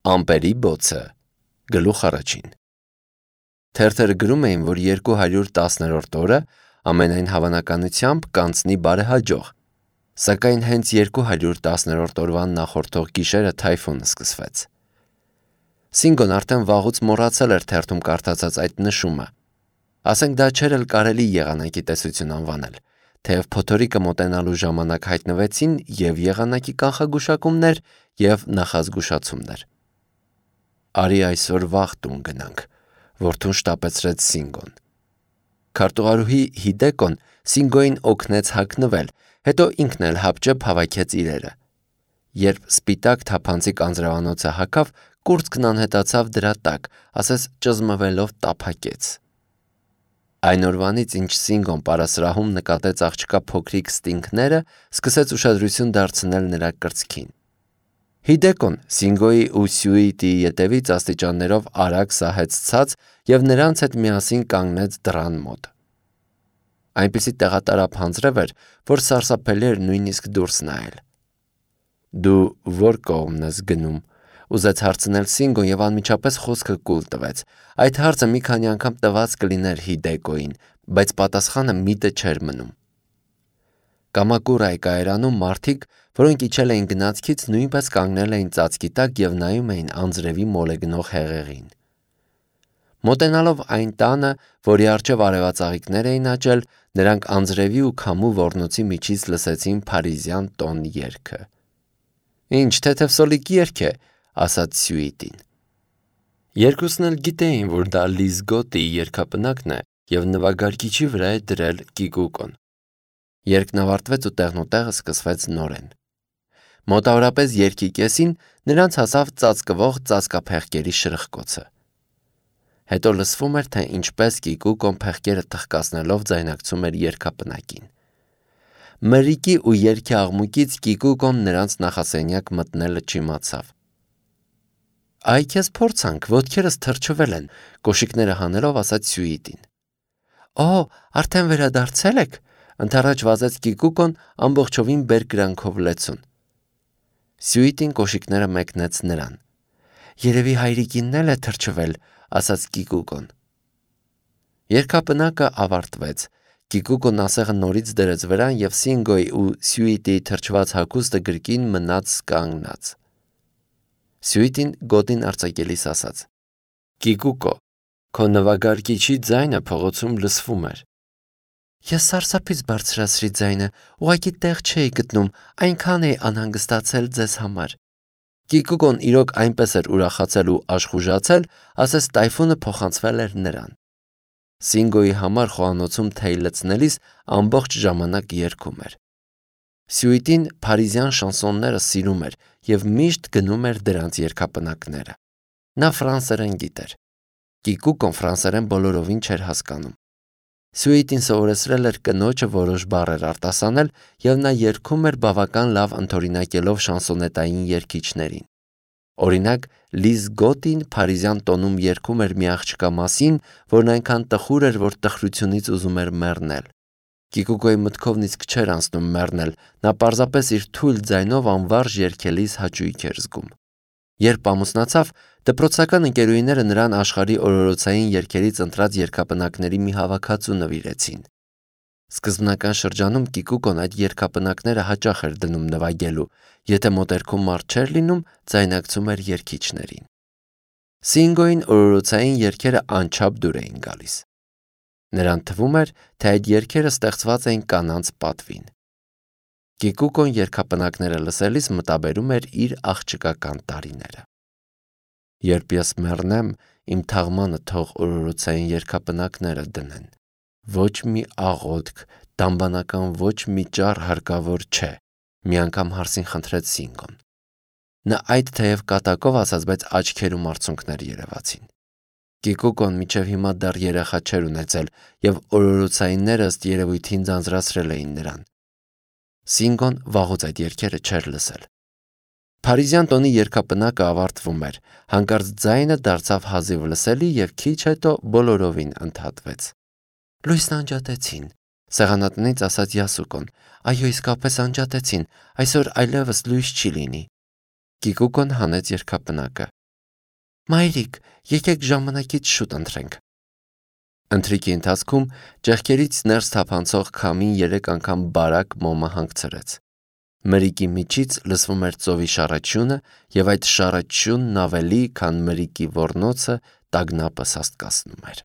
Ամպերի բոցը գլուխ առաջին Թերթերը գրում էին, որ 210-րդ օրը ամենայն հավանականությամբ կանցնի բարեհաջող, սակայն հենց 210-րդ օրվան նախորդող գիշերը թայֆունը սկսվեց։ Սինգոն արդեն վաղուց մոռացել էր թերթում կարդացած այդ նշումը։ Ասենք դա չէր էլ կարելի եղանակի տեսություն անվանել, թեև փոթորիկը մոտենալու ժամանակ հայտնվեցին և եղանակի կանխագուշակումներ և նախազգուշացումներ։ Արի այսօր վաղ տուն գնանք, որդուն շտապեցրեց Սինգոն։ Քարտուղարուհի Հիդեկոն Սինգոյին օգնեց հագնվել, հետո ինքն էլ հապճեպ հավաքեց իրերը։ Երբ սպիտակ թափանցիկ անձրևանոցը հագավ, կուրծքն անհետացավ դրա տակ, ասես ճզմվելով տափակեց։ Այն օրվանից, ինչ Սինգոն պարասրահում նկատեց աղջկա փոքրիկ ստինգները, սկսեց ուշադրություն դարձնել նրա կրծքին։ Հիդեկոն Սինգոյի ու Սյուիտիի ետևից աստիճաններով արագ սահեց ցած և նրանց հետ միասին կանգնեց դռան մոտ։ Այնպիսի տեղատարափ անձրև էր, որ սարսափելի էր նույնիսկ դուրս նայել։ Դու ո՞ր կողմն ես գնում, ուզեց հարցնել Սինգոն և անմիջապես խոսքը կուլ տվեց։ Այդ հարցը մի քանի անգամ տված կլիներ Հիդեկոյին, բայց պատասխանը միտը չէր մնում։ Կամակուրայի կայարանում մարդիկ, որոնք իջել էին գնացքից, նույնպես կանգնել էին ծածկի տակ և նայում էին անձրևի մոլեգնող հեղեղին։ Մոտենալով այն տանը, որի առջև արևածաղիկներ էին աճել, նրանք անձրևի ու քամու ոռնոցի միջից լսեցին փարիզյան տոն երգը։ «Ինչ թեթև երգ է», ասաց Սյուիտին։ Երկուսն էլ գիտեին, որ դա Լիզ Գոտիի երգապնակն է և նվագարկիչի վրա է դրել կիկուկոն։ Երգն ավարտվեց ու տեղնուտեղը սկսվեց նորեն։ Մոտավորապես երգի կեսին նրանց հասավ ծածկվող ծածկափեղկերի շրխկոցը։ Հետո լսվում էր, թե ինչպես կիկուկոն փեղկերը թխկացնելով ձայնակցում էր երգապնակին։ Մրրիկի ու երգի աղմուկից կիկուկոն նրանց նախասենյակ մտնելը չիմացավ։ «Այ քեզ փորձանք, ոտքերս թրջվել են», կոշիկները հանելով ասաց Սյուիտին։ «Օ, արդեն վերադարձել եք», ընդառաջ վազեց կիկուկոն ամբողջովին բերկրանքով լեցուն։ Սյուիտին կոշիկները մեկնեց նրան։ «Երևի հայրիկինն էլ է թրջվել», ասաց կիկուկոն։ Երգապնակը ավարտվեց։ Կիկուկոն ասեղը նորից դրեց վրան և Սինգոյի ու Սյուիտիի թրջված հագուստը գրկին մնաց կանգնած։ Սյուիտին գոտին արձակելիս ասաց. «Կիկուկո, քո նվագարկիչի ձայնը փողոցում լսվում էր»։ «Ես սարսափից բարձրացրի ձայնը, ուղղակի տեղ չէի գտնում, այնքան էի անհանգստացել ձեզ համար»։ Կիկուկոն իրոք այնպես էր ուրախացել ու աշխուժացել, ասես տայֆունը փոխանցվել էր նրան։ Սինգոյի համար խոհանոցում թեյ լցնելիս ամբողջ ժամանակ երգում էր։ Սյուիտին փարիզյան շանսոնները սիրում էր և միշտ գնում էր դրանց երգապնակները։ Նա ֆրանսերեն գիտեր։ Կիկուկոն ֆրանսերեն բոլորովին չէր հասկանում։ Սյուիտին սովորեցրել էր կնոջը որոշ բառեր արտասանել, և նա երգում էր բավական լավ ընդօրինակելով շանսոնետային երգիչներին։ Օրինակ, Լիզ Գոտին փարիզյան տոնում երգում էր մի աղջկա մասին, որն այնքան տխուր էր, որ տխրությունից ուզում էր մեռնել։ Կիկուկոյի մտքովն իսկ չէր անցնում մեռնել, նա պարզապես իր թույլ ձայնով անվարժ երգելիս հաճույք էր զգում։ Երբ ամուսնացավ, դպրոցական ընկերուհիները նրան աշխարհի օրորոցային երգերից ընտրած երգապնակների մի հավաքածու նվիրեցին։ Սկզբնական շրջանում Կիկուկոն այդ երգապնակները հաճախ էր դնում նվագելու, եթե մոտերքում մարդ չէր լինում, ձայնակցում էր երգիչներին։ Սինգոյին օրորոցային երգերը անչափ դուր էին գալիս։ Նրան թվում էր, թե այդ երգերը ստեղծված էին կանանց պատվին։ Կիկուկոն երգապնակները լսելիս մտաբերում էր իր աղջկական տարիները։ «Երբ ես մեռնեմ, իմ թաղմանը թող օրորոցային երգապնակները դնեն։ Ոչ մի աղոթք, դամբանական ոչ մի ճառ հարկավոր չէ», մի անգամ հարսին խնդրեց Սինգոն։ Նա այդ թեև կատակով ասաց, բայց աչքերում արցունքներ երևացին։ Կիկուկոն մինչև հիմա դեռ երեխա չէր ունեցել, և օրորոցայինները ըստ երևույթին ձանձրացրել էին նրան։ Սինգոն վաղուց այդ երգերը չէր լսել։ Փարիզյան տոնի երգապնակը ավարտվում էր, հանկարծ ձայնը դարձավ հազիվ լսելի և քիչ հետո բոլորովին ընդհատվեց։ «Լույսն անջատեցին», սեղանատնից ասաց Յասուկոն։ «Այո, իսկապես անջատեցին, այսօր այլևս լույս չի լինի»։ Կիկուկոն հանեց երգապնակը։ Մայրիկ, եկեք ժամանակից շուտ ընթրենք։ Ընթրիքի ընթացքում ճեղքերից ներս թափանցող քամին 3 անգամ բարակ մոմը հանգցրեց։ Մրիկի միջից լսվում էր ծովի շառաչյունը, եւ այդ շառաչյունն ավելի, քան մրիկի ոռնոցը, տագնապը սաստկացնում էր։